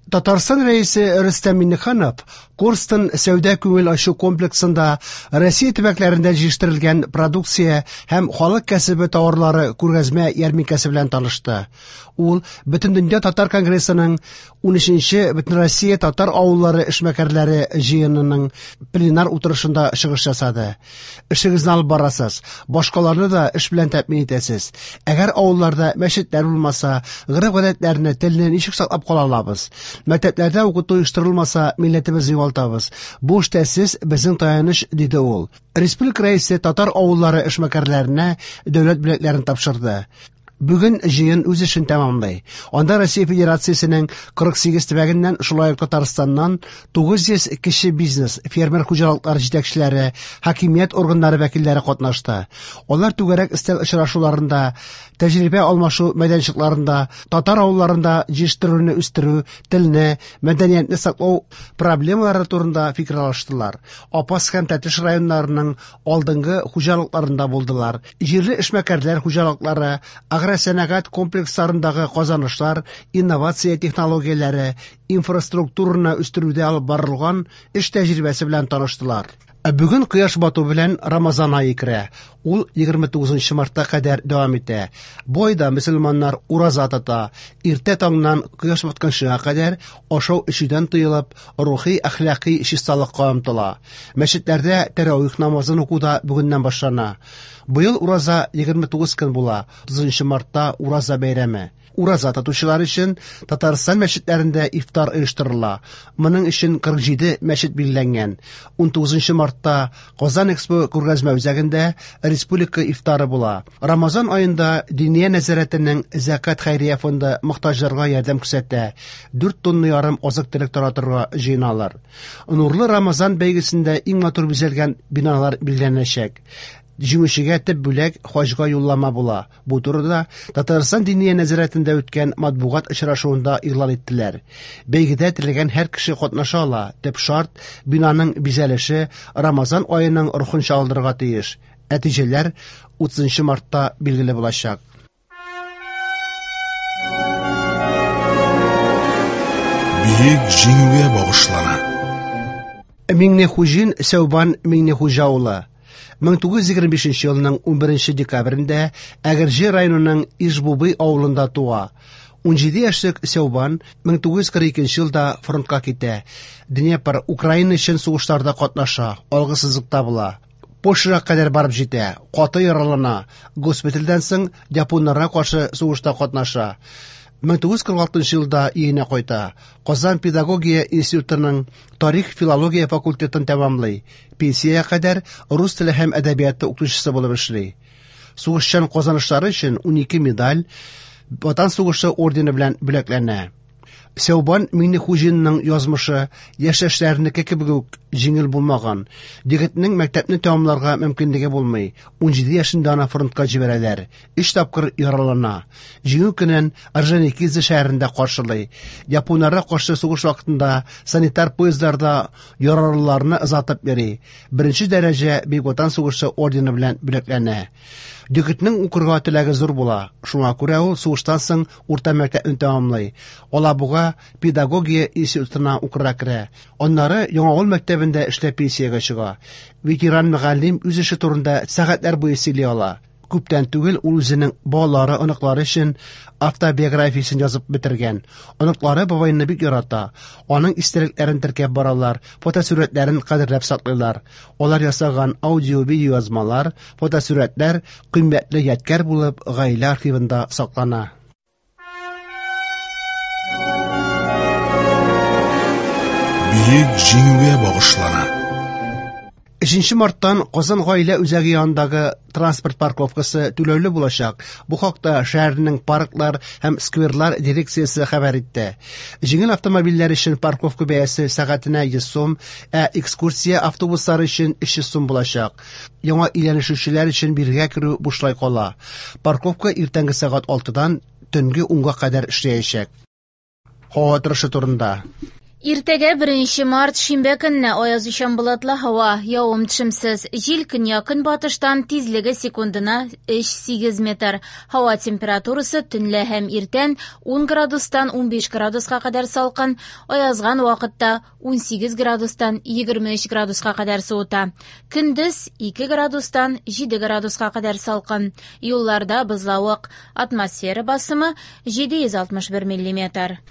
Татарстан Рәисе Рөстәм Миңнеханов Корстон сәүдә-күңел ачу комплексында Россия төбәкләрендә җитештерелгән продукция һәм халык кәсебе тауарлары күргәзмә ярминкәсе белән танышты. Ул Бөтендөнья татар конгрессының 13нче Бөтенроссия татар авыллары эшмәкәрләре җыенының пленар утырышында чыгыш ясады. Эшегезне алып барасыз, башкаларны да эш белән тәэмин итәсез. Әгәр авылларда мәчетләр булмаса, гореф-гадәтләрне, телне ничек саклап кала алабыз? Мәктәпләрдә укыту оештырылмаса, милләтебезне югалтабыз. Бу эштә сез безнең таяныч, диде ул. Республика Рәисе татар авыллары эшмәкәрләренә дәүләт бүләкләрен тапшырды. Бүген җыен үз эшен тәмамлый. Анда Россия Федерациясенең 48 төбәгеннән, шулай ук Татарстаннан 900 кече бизнес, фермер хуҗалыклары җитәкчеләре, хакимият органнары вәкилләре катнашты. Алар түгәрәк өстәл очрашуларында, тәҗрибә алмашу мәйданчыкларында, татар авылларында җитештерүне үстерү, телне, мәдәниятне саклау проблемалары турында фикер алыштылар. Апас һәм Тәтеш районнарының алдынгы хуҗалыкларында булдылар. Җирле эшмәкәрләр хуҗалыклары, агросәнәгать комплексларындагы казанышлар, инновация технологияләре, инфраструктураны үстерүдә алып барылган эш тәҗрибәсе белән таныштылар. Ә бүген кояш бату белән Рамазан ае керә. Ул 29 мартка кадәр дәвам итә. Бу айда мөселманнар ураза тота. Иртә таңнан кояш батканчыга кадәр ашау-эчүдән тыелып, рухи, әхлакый чисталыкка омтыла. Мәчетләрдә тәравих намазын уку да бүгеннән башлана. Быел ураза 29 көн була, 30 мартта ураза бәйрәме. Ураза тотучылар өчен Татарстан мәчетләрендә ифтар оештырыла. Моның өчен 47 мәчет билгеләнгән. 19 мартта Казан Экспо күргәзмә үзәгендә республика ифтары була. Рамазан аенда Диния нәзарәтенең Зәкят хәйрия фонды мохтаҗларга ярдәм күрсәтә. 4 тонна ярым азык-төлек таратырга җыеналар. Нурлы Рамазан бәйгесендә иң матур бизәлгән биналар билгеләнәчәк. Җиңүчегә төп бүләк хаҗга юллама була. Бу турыда Татарстан Диния нәзарәтендә үткән матбугат очрашуында игълан иттеләр. Бәйгедә теләгән һәр кеше катнаша ала. Төп шарт бинаның бизәлеше Рамазан аеның рухын чагылдырырга тиеш. Нәтиҗәләр 30 мартта билгеле булачак. Бөек Җиңүгә багышлана. Миңнехуҗин Сәүбан Миңнехуҗа улы 1925 елның 11 декабрендә Әгерҗе районының Ижбубый авылында туа. 17 яшьлек Сәүбан 1942 елда фронтка китә. Днепр, Украина өчен сугышларда катнаша, алгы сызыкта була. Польшага кадәр барып җитә, каты яралана. Госпитальдән соң японнарга каршы сугышта катнаша. 1946 елда өенә кайта. Казан педагогия институтының тарих-филология факультетын тәмамлый. Пенсиягә кадәр рус теле һәм әдәбияты укытучысы булып эшли. Сугышчан казанышлары өчен 12 медаль, Ватан сугышы ордены белән бүләкләнә. Сәүбан Миңнехуҗинның язмышы яшьтәшләренеке кебек үк җиңел булмаган. Егетнең мәктәпне тәмамларга мөмкинлеге булмый. 17 яшендә аны фронтка җибәрәләр. Өч тапкыр яралана. Җиңү көнен Орджоникидзе шәһәрендә каршылый. Японнарга каршы сугыш вакытында санитар поездларда яралыларны озатып йөри. Беренче дәрәҗә Бөек Ватан сугышы ордены белән бүләкләнә. Егетнең укырга теләге зур була. Шуңа күрә ул сугыштан соң урта мәктәпне тәмамлый. Алабуга педагогия институтына укырга керә. Аннары Яңавыл мәктәбендә эшләп пенсиягә чыга. Ветеран мөгаллим үз эше турында сәгатьләр буе сөйли ала. Күптән түгел ул үзенең балалары, оныклары өчен автобиографиясен язып бетергән. Оныклары бабайны бик ярата. Аның истәлекләрен теркәп баралар, фотосурәтләрен кадерләп саклыйлар. Алар ясаган аудио-видео язмалар, фотосурәтләр кыйммәтле ядкәр булып гаилә архивында саклана. Бөек Җиңүгә багышлана. 3 марттан Казан гаилә үзәге янындагы транспорт парковкасы түләүле булачак. Бу хакта шәһәрнең парклар һәм скверлар дирекциясе хәбәр итте. Җиңел автомобильләр өчен парковка бәясе сәгатенә 100 сум, ә экскурсия автобуслары өчен 300 сум булачак. Яңа өйләнешүчеләр өчен бирегә керү бушлай кала. Парковка иртәнге сәгать 6-дан төнге 10-га кадәр эшләячәк. Һава торышы турында. Иртәгә 1 март шимбә көнне аязучан болытлы һава, явым-төшемсез. Җил көньяк-көнбатыштан, тизлеге секундына 3-8 метр. Һава температурасы төнлә һәм иртән 10 градустан 15 градуска кадәр салкын, аязган вакытта 18 градустан 23 градуска кадәр суыта. Көндез 2 градустан 7 градуска кадәр салкын. Юлларда бозлавык. Атмосфера басымы 761 миллиметр.